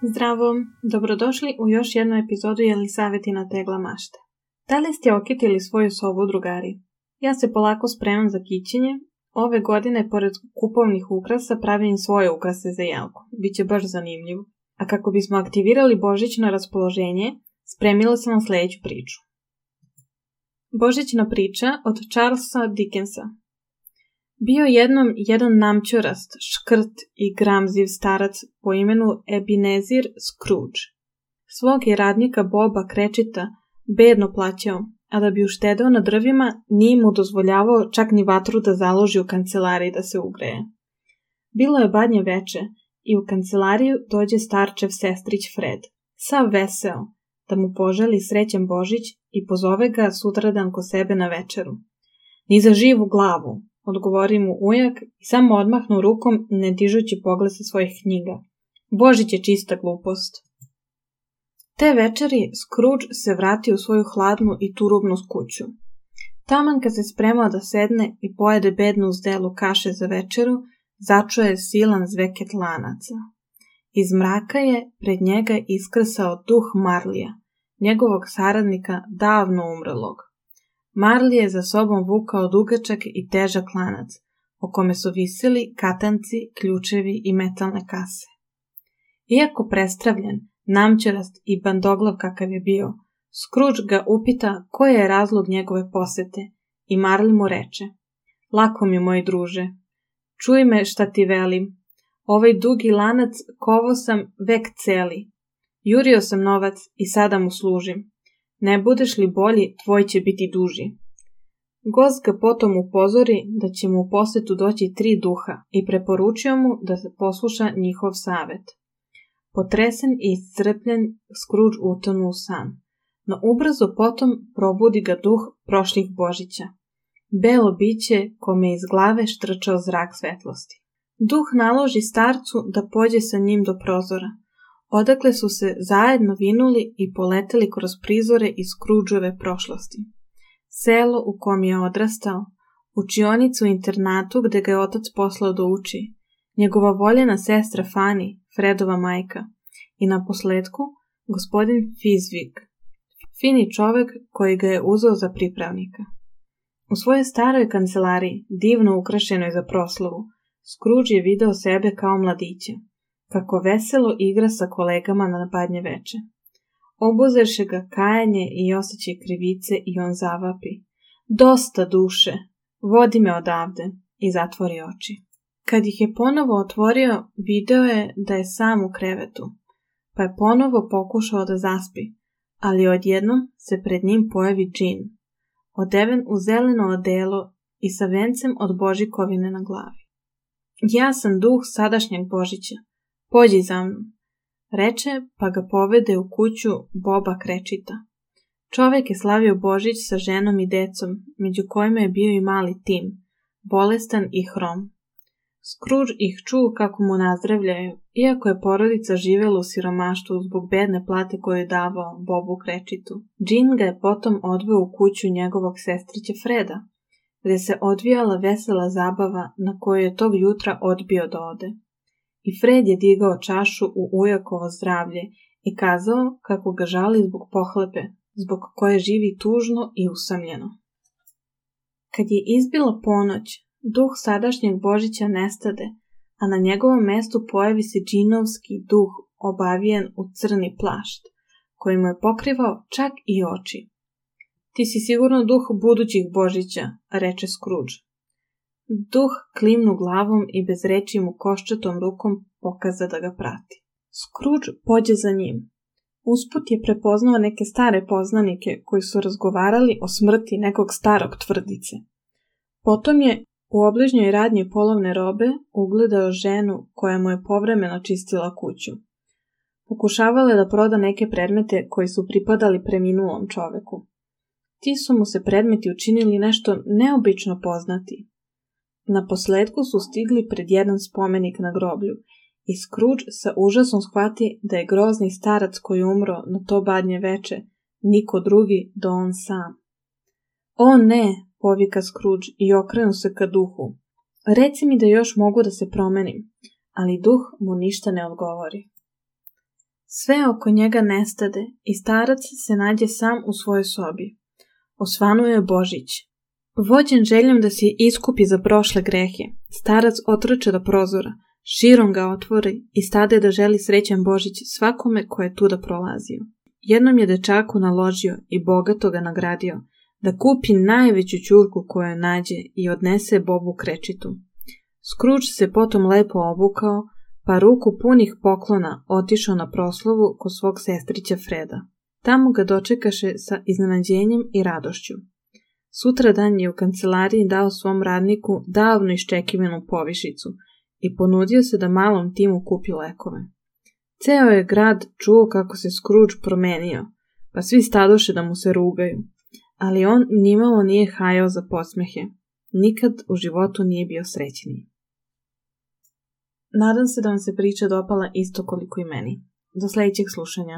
Zdravo, dobrodošli u još jednu epizodu Jelisavetina tegla mašte. Da li ste okitili svoju sobu, drugari? Ja se polako spremam za kićenje. Ove godine, pored kupovnih ukrasa, pravim svoje ukrase za jelku. Biće baš zanimljivo. A kako bismo aktivirali božićno raspoloženje, spremila sam vam sljedeću priču. Božićna priča od Charlesa Dickensa. Bio jednom jedan namćurast, škrt i gramziv starac po imenu Ebenezer Scrooge. Svog je radnika Boba Cratchita bedno plaćao, a da bi uštedeo na drvima, nije mu dozvoljavao čak ni vatru da založi u kancelariji da se ugreje. Bilo je badnje veče i u kancelariju dođe starčev sestrić Fred, sav veseo, da mu poželi srećan Božić i pozove ga sutradan ko sebe na večeru. Ni za živu glavu, odgovori mu ujak i samo odmahnu rukom ne dižući pogled sa svojih knjiga. Božić je čista glupost. Te večeri Scrooge se vrati u svoju hladnu i turubnu kuću. Taman kad se spremao da sedne i pojede bednu zdelu kaše za večeru, začuje silan zveket lanaca. Iz mraka je pred njega iskrsao duh Marlija, njegovog saradnika davno umrlog. Marley je za sobom vukao dugačak i težak lanac, o kome su visili katanci, ključevi i metalne kase. Iako prestravljen, namćerast i bandoglav kakav je bio, Scrooge ga upita koji je razlog njegove posete i Marley mu reče: "Lako mi, moj druže, čuj me šta ti velim, ovaj dugi lanac kovao sam vek celi, jurio sam novac i sada mu služim. Ne budeš li bolji, tvoj će biti duži." Gost ga potom upozori da će mu u posetu doći 3 duha i preporučio mu da se posluša njihov savet. Potresen i iscrpljen, Scrooge utonu u san, no ubrzo potom probudi ga duh prošlih Božića. Belo biće kome iz glave štrčao zrak svetlosti. Duh naloži starcu da pođe sa njim do prozora, odakle su se zajedno vinuli i poleteli kroz prizore iz Scroogeove prošlosti. Selo u kom je odrastao, učionicu u internatu gde ga je otac poslao da uči, njegova voljena sestra Fanny, Fredova majka, i naposletku gospodin Fizvig, fini čovek koji ga je uzeo za pripravnika. U svojoj staroj kancelariji, divno ukrašenoj za proslavu, Scrooge je video sebe kao mladića, kako veselo igra sa kolegama na badnje veče. Obuzeše ga kajanje i osjećaj krivice i on zavapi: "Dosta duše, vodi me odavde", i zatvori oči. Kad ih je ponovo otvorio, video je da je sam u krevetu, pa je ponovo pokušao da zaspi, ali odjednom se pred njim pojavi džin, odeven u zeleno odelo i sa vencem od božikovine na glavi. "Ja sam duh sadašnjeg Božića, pođi za mnom", reče, pa ga povede u kuću Boba Cratchita. Čovek je slavio Božić sa ženom i decom, među kojima je bio i mali Tim, bolestan i hrom. Scrooge ih čuo kako mu nazdravljaju, iako je porodica živela u siromaštvu zbog bedne plate koju je davao Bobu Cratchitu. Džin ga je potom odveo u kuću njegovog sestrića Freda, gde se odvijala vesela zabava na koju je tog jutra odbio da ode. I Fred je digao čašu u ujakovo zdravlje i kazao kako ga žali zbog pohlepe, zbog koje živi tužno i usamljeno. Kad je izbila ponoć, duh sadašnjeg Božića nestade, a na njegovom mestu pojavi se džinovski duh obavijen u crni plašt, koji mu je pokrivao čak i oči. "Ti si sigurno duh budućih Božića", reče Scrooge. Duh klimnu glavom i bez reči mu koščatom rukom pokaza da ga prati. Scrooge pođe za njim. Usput je prepoznao neke stare poznanike koji su razgovarali o smrti nekog starog tvrdice. Potom je u obližnjoj radnji polovne robe ugledao ženu koja mu je povremeno čistila kuću. Pokušavala je da proda neke predmete koji su pripadali preminulom čoveku. Ti su mu se predmeti učinili nešto neobično poznati. Naposletku su stigli pred jedan spomenik na groblju i Scrooge sa užasom shvati da je grozni starac koji umro na to badnje veče niko drugi do on sam. "O ne", povika Scrooge i okrenu se ka duhu. "Reci mi da još mogu da se promenim", ali duh mu ništa ne odgovori. Sve oko njega nestade i starac se nađe sam u svojoj sobi. Osvanuo je Božić. Vođen željom da se iskupi za prošle grehe, starac otrče do prozora, širom ga otvori i stade da želi srećan Božić svakome ko je tuda prolazio. Jednom je dečaku naložio i bogato ga nagradio da kupi najveću ćurku koju nađe i odnese Bobu krečitu. Scrooge se potom lepo obukao, pa ruku punih poklona otišao na proslavu kod svog sestrića Freda. Tamo ga dočekaše sa iznenađenjem i radošću. Sutradan je u kancelariji dao svom radniku davno iščekivanu povišicu i ponudio se da malom Timu kupi lekove. Ceo je grad čuo kako se Scrooge promenio, pa svi stadoše da mu se rugaju, ali on nimalo nije hajao za podsmehe. Nikad u životu nije bio srećniji. Nadam se da vam se priča dopala isto koliko i meni. Do sljedećeg slušanja.